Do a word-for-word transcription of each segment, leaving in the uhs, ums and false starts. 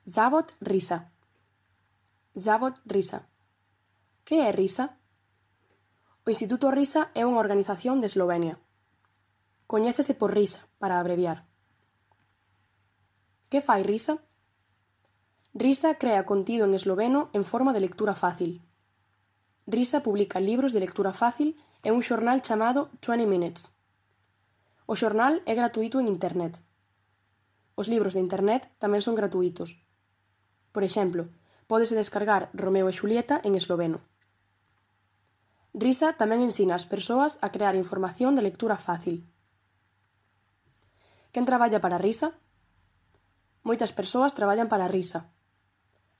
Zavod Risa. Zavod Risa. Que é Risa? O Instituto Risa é unha organización de Eslovenia. Coñécese por Risa, para abreviar. Que fai Risa? Risa crea contido en esloveno en forma de lectura fácil. Risa publica libros de lectura fácil e un xornal chamado twenty minutes. O xornal é gratuíto en internet. Os libros de internet tamén son gratuítos. Por exemplo, pódese descargar Romeo e Xulieta en esloveno. Risa tamén ensina ás persoas a crear información de lectura fácil. Quen traballa para Risa? Moitas persoas traballan para Risa.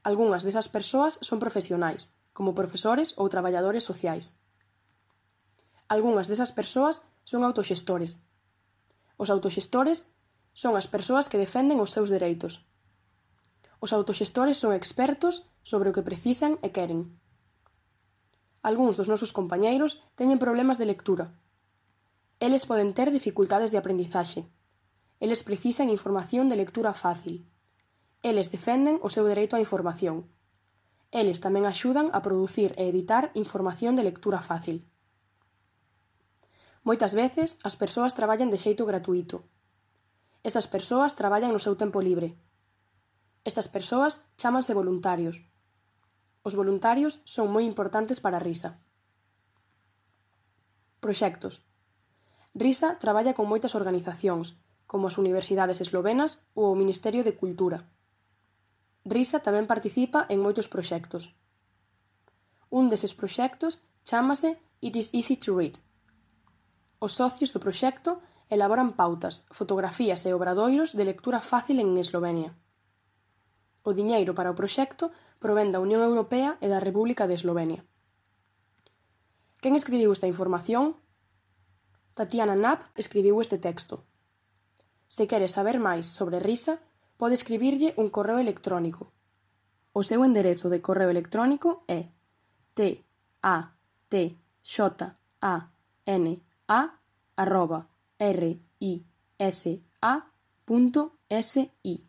Algunhas desas persoas son profesionais, como profesores ou traballadores sociais. Algunhas desas persoas son autoxestores. Os autoxestores son as persoas que defenden os seus dereitos. Os autoxestores son expertos sobre o que precisan e queren. Algúns dos nosos compañeiros teñen problemas de lectura. Eles poden ter dificultades de aprendizaxe. Eles precisan información de lectura fácil. Eles defenden o seu dereito á información. Eles tamén axudan a producir e editar información de lectura fácil. Moitas veces as persoas traballan de xeito gratuíto. Estas persoas traballan no seu tempo libre. Estas persoas chámanse voluntarios. Os voluntarios son moi importantes para Risa. Proxectos. Risa traballa con moitas organizacións, como as universidades eslovenas ou o Ministerio de Cultura. Risa tamén participa en moitos proxectos. Un deses proxectos chámase It is easy to read. Os socios do proxecto elaboran pautas, fotografías e obradoiros de lectura fácil en Eslovenia. O diñeiro para o proxecto provén da Unión Europea e da República de Eslovenia. Quen escribiu esta información? Tatiana Knapp escribiu este texto. Se quere saber máis sobre Risa, pode escribirlle un correo electrónico. O seu enderezo de correo electrónico é t a t x a n a arroba r i s a punto s i.